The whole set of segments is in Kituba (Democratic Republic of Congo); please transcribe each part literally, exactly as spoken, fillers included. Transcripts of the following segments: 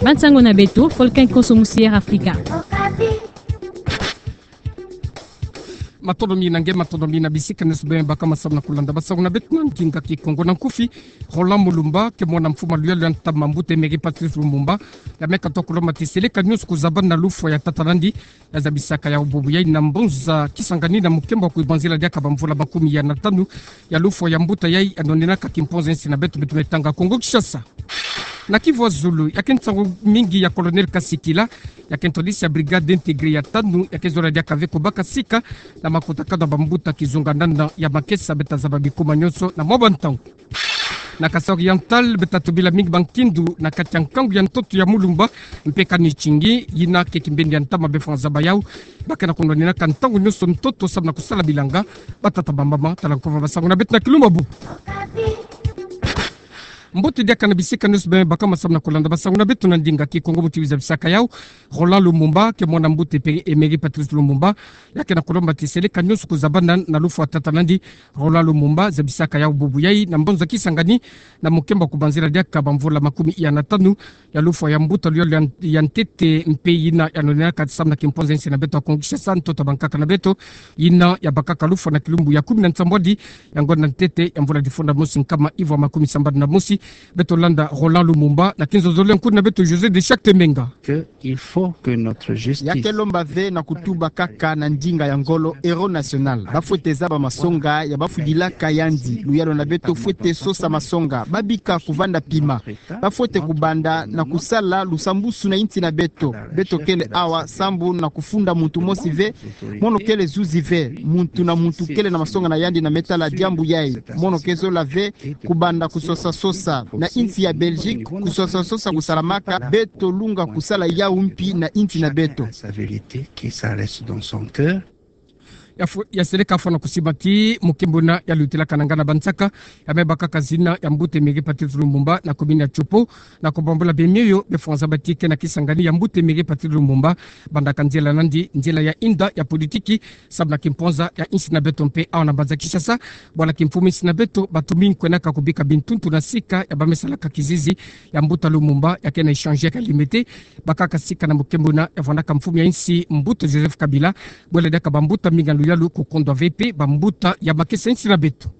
Bansango na beto, Volcan Konso Musière Afrika. Matondo mingi na nge, matondo mingi na bisika nyonso beno baka masamu na kulanda bansango na beto na ndinga Kikongo. Na nkufi, Roland Mulumba, ke mwana mfumu a luyalu ya ntama mbuta Emery Patrice Lumumba, ya me katoa kulomba ti seleka nyonso kuzabana na lufwa ya tata na yandi, ya zabisaka yawu bubu yayi na mbonza Kisangani na mukembo wa kubanzila diaka bamvula makumi ya na tanu ya lufwa ya mbuta yayi, anonenaka kimponza ya insi na beto, beto me tanga Kongo Kinshasa. Na Kivu ya Zulu, ya ke nsangu mingi ya Colonel Kasikila, ya ke ntwadisi ya brigade intégrée ya tanu, ya ke zola diaka ve kubaka sika na makutakanu ya bambuta kizunganana ya makesa, beta zaba bikuma nyonso na mwa bantangu. Na Kasaï Oriental, beta tubila mingi bankindu na kati ya nkangu ya ntoto ya Mulumba mpe Kanitingi, yina ke kimbeni ya ntama befwa nzaba yawu, ba ke na kunwanina ka ntangu nyonso ntoto samu na kusala bilanga. Batata, bamama, tala nkumbu ya bansango na beto na kilumbu. Mbote diaka na bisika nyonso beno baka masamu na kulanda bansango na beto na ndinga Kikongo. Muti zabisaka yawu, Roland Lumumba, ke mwana mbuta Emery Patrice Lumumba, ya ke na kulomba ti seleka nyonso kuzabana na lufwa ya tata na yandi, Roland Lumumba, zabisaka yawu bubu yayi na mbonza Kisangani na mukembo wa kubanzila diaka bamvula makumi ya na tanu ya lufwa ya mbuta luyalu ya, ya ntete mpe yina, anonenaka samu na kimponza ya insi na beto ya Kongo Kinshasa, ntoto ya bankaka na beto, yina ya bakaka lufwa na kilumbu ya kumi na nsambwadi ya ngonda ntete ya mvula difunda mosi nkama ivwa makumi sambanu na mosi. Beto landa Roland Lumumba na kinzonzolo ya nkuni na beto José de Chacte Menga. Que il faut que notre justice... Ya ke lomba ve na kutuba kaka na ndinga ya ngolo, héros national. Ba fwete zaba masonga ya ba fwidilaka yandi. Luyalu na beto fwete sosa masonga. Ba bika kuvanda pima. Ba fwete kubanda na kusala lusambusu na insi na beto. Beto kele awa sambu na kufunda muntu mosi ve. Mono kele zuzi ve. Muntu na muntu kele na masonga na yandi na me tala diambu yayi. Mono ke zola ve kubanda kusosa-sosa na insi ya Belgique, kusosa-sosa kusalamaka. Beto lunga kusala yawu mpi na insi na beto. Sa vérité, que ça reste dans son cœur. Ya fu-, ya seleka fwana kusiba ti mukembo na ya lutilaka na ngana bansaka, ya me bakaka zina ya mbuta Emery Patrice Lumumba na commune ya Tshopo, na kubambula bemioyo befwa nzaba ti ke na Kisangani ya mbuta Emery Patrice Lumumba, bandaka nzila na yandi, nzila ya inda ya politiki, samu na kimponza ya insi na beto mpe awa na mbanza Kinshasa. Bwala kimfumu insi na beto, bato mingi kwenaka kubika bintuntu na sika ya ba me salaka kizizi ya mbuta Lumumba, ya ke na échange ya limete, bakaka sika na mukembo na ya vwandaka mfumu ya insi, mbuta Joseph Kabila, bwela diaka bambuta mingi ya luyalu kukondwa ve mpe bambuta ya makesa insi na beto.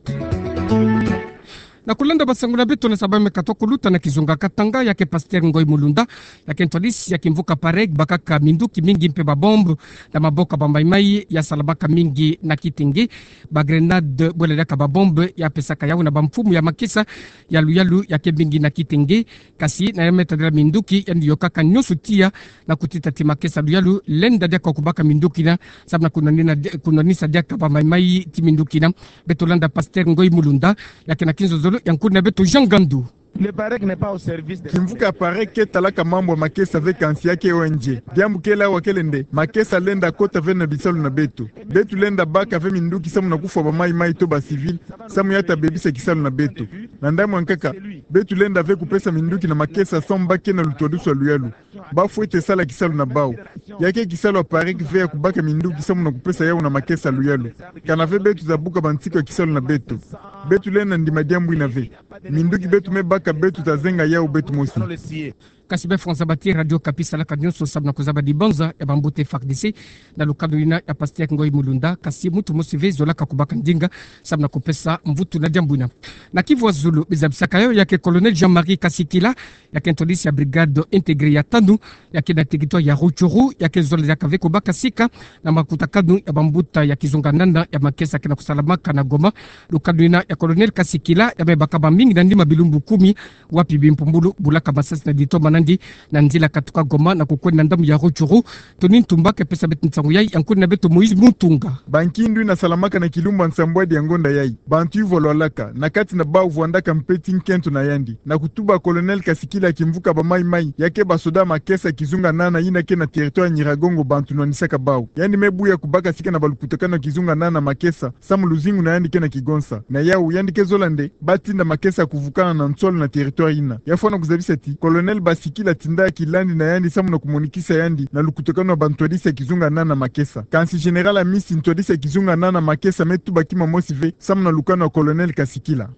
Na kulanda bansango na beto, na saba me katoa kuluta na kizunga Katanga, ya ke pasteur Ngoy Mulunda, ya ke ntwadisi ya kimvuka PAREG, bakaka minduki mingi mpe babombe na maboko ya bamaimai ya salamaka mingi na Kitenge. Bagrenade, bwela diaka babombe, ya pesaka yawu na bamfumu ya makesa ya luyalu ya ke mingi na Kitenge. Kasi na ya me tadila minduki, yandi yokaka nyonso tiya na kutita ti makesa luyalu lenda diaka kubaka minduki yina, samu na kunwanina di-, kunwanisa diaka bamaimai ti minduki yina. Beto landa pasteur Ngoy Mulunda, ya ke na kinzonzolo ya nkuni na beto Jean Gandu. Le PAREG n'est pas au service de... Kimvuka PAREG ke talaka mambu ya makesa ve, kansi ya ke O N G. Diambu kele awa kele nde, makesa lenda kota ve na bisalu na beto. Beto lenda baka ve minduki samu na kufwa bamaimai to ba civil, samu ya ta bebisa kisalu na beto. Na ndambu ya nkaka, beto lenda ve kupesa minduki na makesa samu ba ke na lutwadusu ya luyalu. Ba fwete sala kisalu na bawu. Ya ke kisalu ya PAREG ve ya kubaka minduki samu na kupesa yawu na makesa luyalu. Kana ve beto za buka bansiku ya kisalu na beto. Beto lenda ndima diambu yina ve. Minduki beto me baka, beto ta zenga yawu beto mosi. Kasi befwa nzaba ti Radio Okapi salaka nyonso samu na kuzaba dibanza ya bambuta F A R D C na lukanu yina ya pasteur Ngoy Mulunda, kasi muntu mosi ve zolaka kubaka ndinga samu na kupesa mvutu na diambu yina. Na Kivu ya Zulu, bizabisaka yawu, ya ke Colonel Jean-Marie Kasikila, ya ke ntwadisi ya brigade intégrée ya tanu, ya ke na territoire ya Rutshuru, ya ke zola diaka ve kubaka sika na makutakanu ya bambuta ya kizunganana ya makesa ke na kusalamaka na Goma. Lukanu yina ya Colonel Kasikila ya me baka bamingi na nima bilumbu kumi, wapi bimpumbulu bulaka masasi na ditoma na yandi na nzila katuka Goma na kukwenda na ndambu ya Rutshuru. Tony Ntumba ke pesa beto nsangu yayi, ya nkuni na beto Moïse Mutunga. Bankindu yina salamaka na kilumbu ya nsambwadi ya ngonda yayi. Bantu yuvwalwalaka, na kati na bawu vwandaka mpe ti nkento na yandi, na kutuba Colonel Kasikila kimvuka bamaimai, ya ke basoda makesa kizunganana yina ke na territoire Nyiragongo bantu nwanisaka bawu. Yandi me buya kubaka sika na balukutakanu ya kizunganana makesa, samu luzingu na yandi ke na kigonsa. Na yawu, yandi ke zola nde ba tinda makesa kuvukana na nsolo na territoire yina. Ya fwana kuzabisa ti Colonel Basikila tinda kilandi na yandi samu na kumonikisa yandi na lukutakanu ya bantwadisi ya kizunganana makesa. Kansi Général Amisi, ntwadisi ya kizunganana makesa, me tuba kima mosi ve samu na lukanu ya Colonel Kasikila.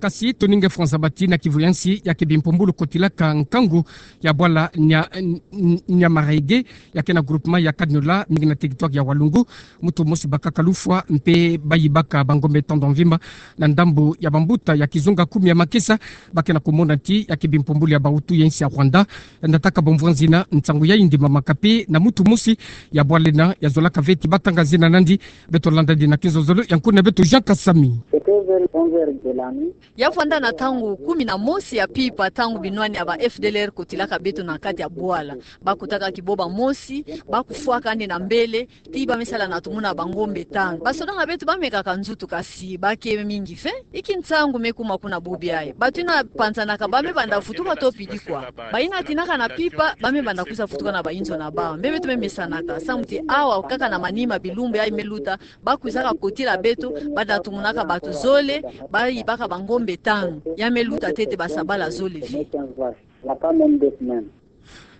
Kasi toni nge François Bati na kivu ya nsi ya ke bimpumbulu kotilaka nkangu ya bwala Nya-, Nya-, Nyamaraige, ya ke na groupement ya Kaniola, mingi na territoire ya Walungu. Mutu mosi bakaka lufwa mpe bayibaka bangombe tanu ya mvimba na ndambu ya bambuta ya kizunga kumi ya makesa, ba ke na kumona ti ya ke bimpumbulu ya bawutu ya nsi ya Rwanda. Nataka bamvwa nzina nsangu yayi ndimamaka mpe na mutu mosi ya bwala ena, ya zolaka ve ti batanga nzina nandi. Beto landa nandi na kizololo ya nkuna beto Jean Kasami. Ya vwanda na ntangu kumi na mosi ya mpimpa, ntangu binwani ya ba F D L R kotilaka beto na kati ya bwala. Bakutaka kiboba mosi, bakufwaka nde na mbele, ti ba me sala na tumuna bangombe tanu. Basoda na beto ba mekaka nzutu kasi ba ke mingi ve. Inki nsangu me kuma kuna bubi ayi? Bato yina panzanaka ba me banda vutuka to pidi kwa? Bayina tinaka na mpimpa, ba me banda kwiza vutuka na bayinzo na bawu. Mbe beto me mesanaka, samu ti awa kaka na manima bilumbu yayi me luta, bakwizaka kotila beto, banda tumunaka bato zole, bayibaka bangombe tanu. Ya me luta ntete basabala zole ve.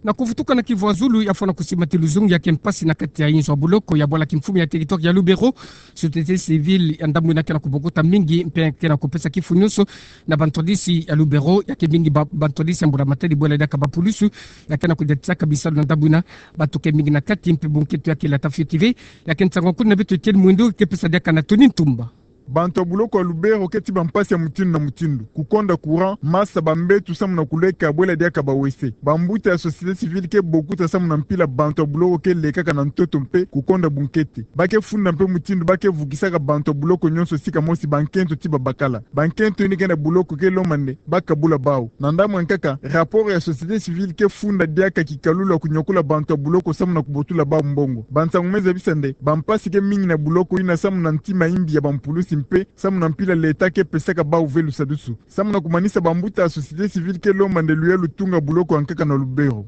Na kuvutuka na kivu ya zulu, ya fwana kusimba ti luzungu ya ke mpasi na kati ya inzo ya buloko ya bwala kimfumu ya territoire ya Lubero. Société civile ya ndambu ina ke na kubokota mingi mpe ke na kupesa kifu nyonso na bantwadisi ya Lubero, ya ke mingi ba-, bantwadisi ya mbula matadi bwela diaka bapulusu, ya ke na kudiatisaka bisalu na ndambu ina. Bato ke mingi na kati mpe bunkento ya ke lata fioti ve. Ya ke nsangu ya nkuna beto Etienne Mwindu ke pesa diaka na Tony Ntumba. Bantu ya buloko ya Lubero ke ti bampasi ya mutindu na mutindu. Kukonda courant, masa, bambeto samu na kuleka bwela diaka bawese. Bambuta ya société civile ke bokuta samu na mpila bantu ya buloko ke lekaka na ntoto mpe kukonda bunkete. Ba ke funda mpe mutindu ba ke vukisaka bantu ya buloko nyonso sika mosi bankento ti babakala. Bankento yina ke na buloko ke lomba nde ba kabula bawu. Na ndambu ya nkaka, rapport ya société civile ke funda diaka kikalulu ya kunyokula bantu ya buloko samu na kubotula bawu mbongo. Bansangu me zabisa nde bampasi ke mingi na buloko ina samu na ntima yimbi ya bampulusi mpe samu na mpila leta ke pesaka bawu ve lusadusu. Samu na kumanisa, bambuta ya société civile ke lomba nde luyalu tunga buloko ya nkaka na Lubero.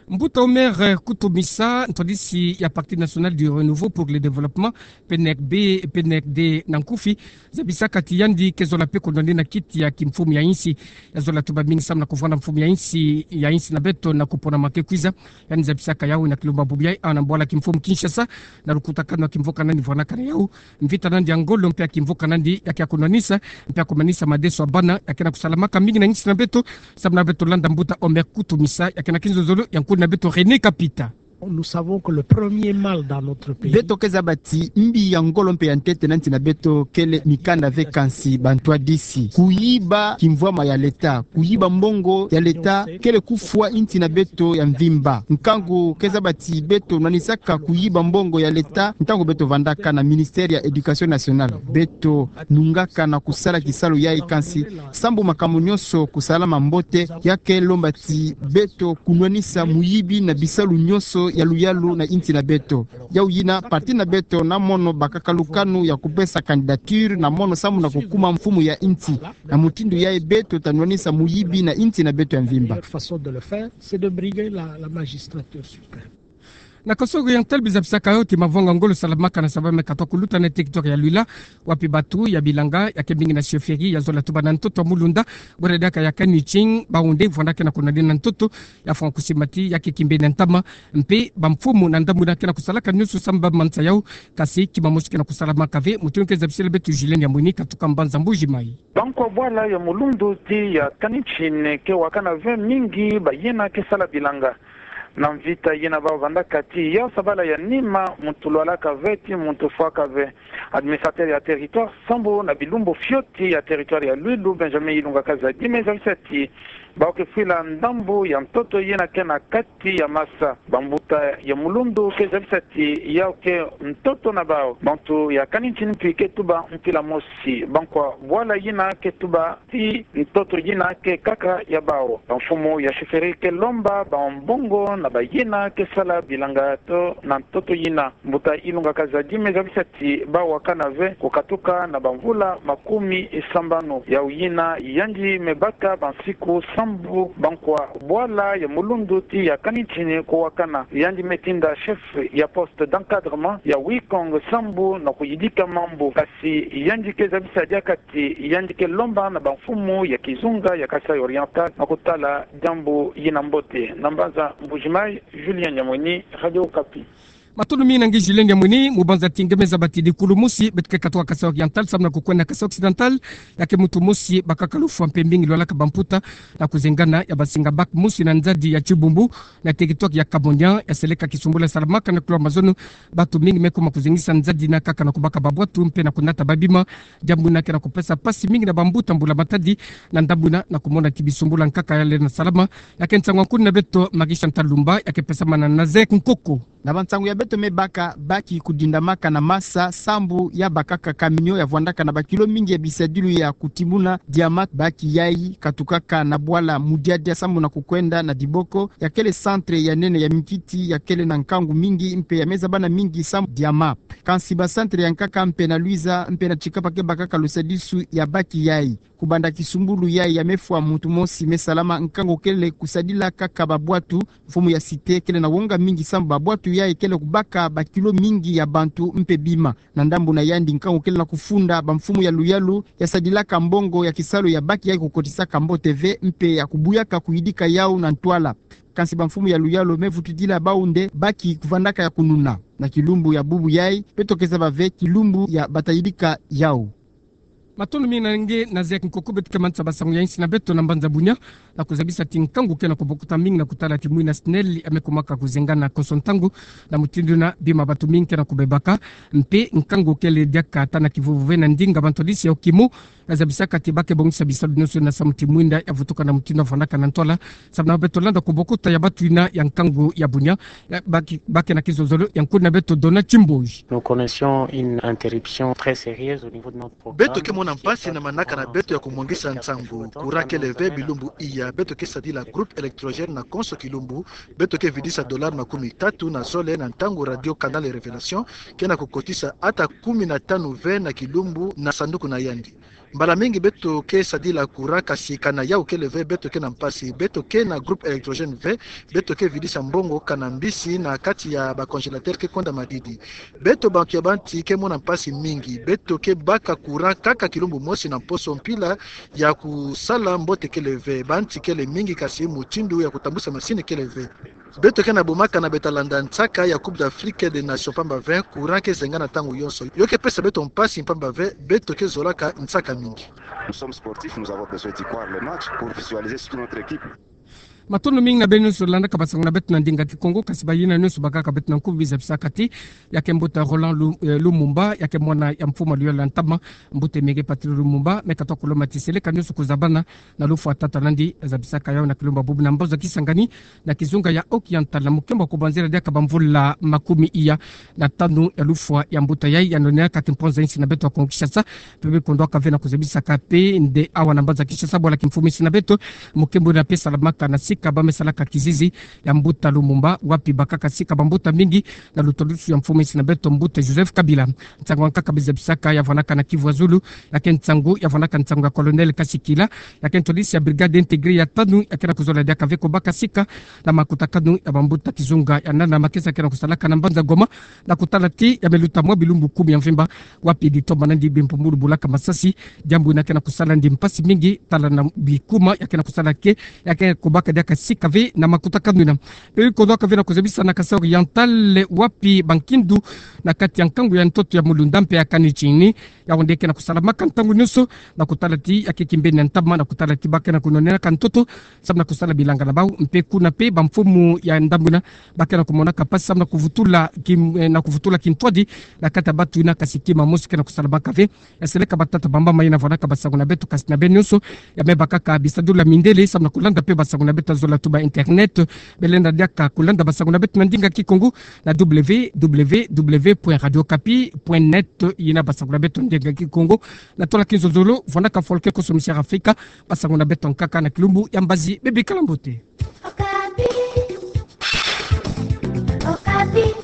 Mbuta Omer Kutumisa, ntwadisi ya Parti National du Renouveau pour le Développement, P N R B, P N R D na nkufi, zabisaka ti yandi ke zola mpe kunwanina kiti ya kimfumu ya insi. Ya zola tuba mingi samu na kuvwanda mfumu ya insi, ya insi na beto na kuponama ke kwiza. Yandi zabisaka yawu na kilumbu ya bubu yayi, a, na bwala kimfumu Kinshasa, na lukutakanu ya kimvuka nandi vwanakana yawu. Mvita nandi ya ngolo mpe ya kimvuka nandi ya ke ya kunwanisa mpe ya kumanisa madeso ya bana ya ke na kusalamaka mingi na insi na beto. Samu na beto landa mbuta Omer Kutumisa ya ke na kinzonzolo ya nkulu na beto René Kapita. Nous savons que le premier mal dans notre pays. Beto ke zaba ti mbi ya ngolo mpe ya ntete na nsi na beto kele mikanda ve kansi bantwadisi. Kuyiba kimvwama ya leta, kuyiba mbongo ya leta kele kufwa insi na beto ya mvimba. Nkangu ke zaba ti beto nwanisaka kuyiba mbongo ya leta ntangu beto vandaka na ministère ya Éducation nationale. Beto nungaka na kusala kisalu yayi kansi sambu makambu nyonso kusalama mbote, ya ke lomba ti beto kunwanisa muyibi na bisalu nyonso ya luyalu na insi na beto. Yawu yina parti na beto na mono bakaka lukanu ya kupesa candidature na mono samu na kukuma mfumu ya insi. Na mutindu yayi beto ta nwanisa muyibi na insi na beto ya mvimba. La meilleure façon de le faire, c'est de briguer la, la magistrature suprême. Na Kasaï Oriental, biza bisaka yo ti mavanga ngolo salamaka na saba me katoka kuluta na territoire ya Luila, wapi batu ya bilanga ya ke mingi na chefferie ya zola tuba na ntoto ya Mulunda, bwera diaka ya Kaniching, bawu nde vwanda ke na kunwanina ntoto, ya fwa kusimba ti ya ke kimbe na ntama, mpe bamfumu na ndambu ina ke na kusalaka nyonso samu ba mansa yawu, kasi kima mosi ke na kusalamaka ve. Mutindu ke zabisela beto Julien Nyamwini katuka mbanza Mbuji Mayi. Bankwa bwala ya Mulundu ti ya Kaniching ke wakana ve mingi bayina ke sala bilanga. Na mvita yina ba vandaka ti ya sabala ya nima, muntu lwalaka ve ti muntu fwaka ve. Administrateur ya territoire sambu na bilumbu fioti ya territoire ya Luilu, Benjamin Ilunga Kazadi, me zabisa ti bawu ke fwila ndambu ya ntoto yina ke na kati ya masa. Bambuta ya Mulundu ke zabisa ti yawu ke ntoto na bawu. Bantu ya Kaniching mpi ke tuba mpila mosi. Bankwa bwala yina ke tuba ti ntoto yina ke kaka ya bawu. Bamfumu ya chefferie ke lomba bambongo na bayina ke sala bilanga to na ntoto yina. Mbuta Ilunga Kazadi me zabisa ti ba wakana ve kukatuka na bamvula makumi sambanu. Yawu yina yandi me baka bansiku sambu bankwa bwala ya Mulundu ti ya Kaniching ko wakana. Yandi me tinda chef ya poste d'encadrement ya Wikong sambu na kuyidika mambu. Kasi yandi ke zabisa diaka ti yandi ke lomba na bamfumu ya kizunga ya Kasaï Oriental na kutala diambu yina mbote. Na mbanza Mbuji Mayi, Julien Nyamwini, Radio Okapi. Matondo mingi na nge Julien Diamoni. Mu banza ti nge me zaba ti dikulu mosi, beto ke katoka Kasaï Oriental samu na kukwenda Kasaï Occidental, ya ke mutu mosi bakaka lufwa mpe mingi lwalaka bamputa na kuzengana ya basinga bac mosi na nzadi ya Tchiboumbou, na teritware ya Kamonian, ya seleka kisumbulu ya salamaka na kuloa mazono. Bantu mingi me kuma kuzengisa nzadi na nkaka na kubaka babwatu mpe na kunata babima. Diambu ina ke na kupesa mpasi mingi na bambuta mbula matadi na ndambu ina, na kumona ti bisumbulu ya nkaka ya lenda salama. Ya ke nsangu ya nkuna beto Marie Chantal Lumba, ya ke pesamana na Nazaire Nkoko. Na bansangu ya beto me baka, bac kudindamaka na masa sambu ya bakaka camion ya vwandaka na bakilo mingi ya bisadilu ya kutimuna diamant. Bac yayi katukaka na bwala Mudiadia sambu na kukwenda na Diboko, ya kele centre ya nene ya mikiti, ya kele na nkangu mingi mpe ya me zaba na mingi sambu diamant. Kansi bacentre ya nkaka mpe na Luiza mpe na Tchicapa ke bakaka lusadisu ya bac yayi. Kubanda kisumbulu yayi ya me fwa muntu mosi me salama, nkangu kele kusadila kaka babwatu. Mfumu ya cité kele na wonga mingi sambu babwatu yayi kele kubaka bakilo mingi ya bantu mpe bima. Na ndambu na yandi, nkangu kele na kufunda bamfumu ya luyalu ya sadilaka mbongo ya kisalu ya bac yayi kukotisaka mbote ve mpe ya kubuyaka kuyidika yawu na ntwala. Kansi bamfumu ya luyalu me vutudila bawu nde bac kuvandaka ya kununa. Na kilumbu ya bubu yayi, beto ke zaba ve kilumbu ya bata yidika yawu. Matondo mingi na nge Nazaire Nkoko. Beto ke manisa basangu ya insi na beto na mbanza bunia, na kuzabisa ti nkangu ke na kubokuta mingi na kutala ti mwina SNEL ya me kumaka kuzengana konso ntangu. Na mutindu ina, bima bantu mingi ke na kubebaka, mpe nkangu kele diaka ata na kivuvu ve na ndinga bantwadisi ya kimu. Ya zabisaka ti bac ke bongisa bisalu nyonso na samu ti mwinda ya vutuka na mutindu ya vwandaka na ntwala. Samu na beto landa kubokuta ya bantu ina ya nkangu ya bunia, ya bac ke, bac ke na kizolzolo ya nkuna beto Dona Chimboi. Nous connaissions une interruption très sérieuse au niveau de notre programme. Beto ke mona mpasi na manaka na beto ya kumwangisa nsangu. Courant kele ve bilumbu iya. Beto ke sadila groupe électrogène na konso kilumbu. Beto ke vidisa dollar makumi tatu na zole na ntangu Radio Canal Révélation ke na kukotisa ata kumi na tanu ve na kilumbu na sanduku na yandi. Mbala mingi beto ke sadila courant, kasi kana yawu kele ve, beto ke na mpasi. Beto ke na groupe électrogène ve, beto ke vidisa mbongo kana mbisi na kati ya bacongélateur ke kwenda madidi. Beto bantu ya banti ke mona mpasi mingi. Beto ke baka courant kaka kilumbu mosi na mposo, mpila ya kusala mbote kele ve. Banti kele mingi, kasi mutindu ya kutambusa masini kele ve. Beto ke na bumaka na beta landa nsaka ya Coupe d'Afrique des Nations mpamba ve, courant ke zengana ntangu yonso. Yo ke pesa beto mpasi mpamba ve, beto ke zolaka nsaka mingi. Nous sommes sportifs, nous avons besoin d'y croire le match pour visualiser surtout notre équipe. Matondo mingi na beno nyonso landaka basangu na beto na ndinga Kikongo, kasi bayina nyonso bakaka beto na nkufi, zabisaka ti ya ke mbuta Roland Lu-, eh, Lumumba, ya ke mwana ya mfumu ya luyalu ya ntama, mbuta Emery Patrick Lumumba, me katoka kulomba ti seleka nyonso kuzabana na lufwa tata nandi. Zabisaka yawu na kilumbu ya bubu na mboza Kisangani, na kizunga ya Haut-Oriental, na mukembo ya kubanzila diaka bamvula makumi iya na tanu ya lufwa ya mbuta yayi, ya nonenaka kimponza insi na beto ya Kongo Kinshasa. Mpe me kondwaka ve na kuzabisaka mpe nde awa na mbanza Kinshasa bwala kimfumu insi na beto, mukembo ina mpe salamaka na sika ba me salaka kizizi ya mbuta Lumumba, wapi bakaka sika bambuta mingi na lutwadusu ya mfumu insi na beto mbuta Joseph Kabila. Nsangu ya nkaka me zabisaka ya vwanaka na Kivu ya Zulu, ya ke nsangu ya vwanaka nsangu ya Colonel Kasikila, ya ke ntwadisi ya brigade intégrée ya tanu, ya ke na kuzola diaka ve kubaka sika na makutakanu ya bambuta kizunga ya nana makesa ke na kusalaka na mbanza Goma, na kutala ti ya me luta mwa bilumbu kumi ya mvimba, wapi ditoma nandi bimpumbulu bulaka masasi, diambu ina ke na kusala nandi mpasi mingi, tala na bikuma ya ke na kusala ke, ya ke kubaka diaka sika ve na makutakanu ina. Mpe me kondwaka ve na kuzabisa na Kasaï Oriental, wapi bankindu na kati ya nkangu ya ntoto ya Mulunda mpe ya Kanichini, yawu nde ke na kusalamaka ntangu nyonso, na kutala ti ya ke kimbeni ya ntama, na kutala ti ba ke na kunonenaka ntoto samu na kusala bilanga na bawu. Mpe kuna mpe bamfumu ya ndambu ina ba ke na kumonaka mpasi samu na kuvutula kim-, eh, na kuvutula kintwadi na kati ya bantu ina, kasi kima mosi ke na kusalamaka ve. Ya seleka batata, bamama, yina vwanaka basangu na beto, kasi na beno nyonso ya me bakaka bisadilu ya mindele samu na kulanda mpe basangu na beto ya zola tuba internet. Belenda diaka kulanda basangu na beto na ndinga Kikongo na W W W point radio okapi point net, yina basangu na beto ndinga Kikongo. Na tola kinzolzolo, vwanaka Folke Koso Mister Afrika, basangu na beto nkaka na kilumbu ya mbazi. Bebikala mbote. Okapi. Okapi.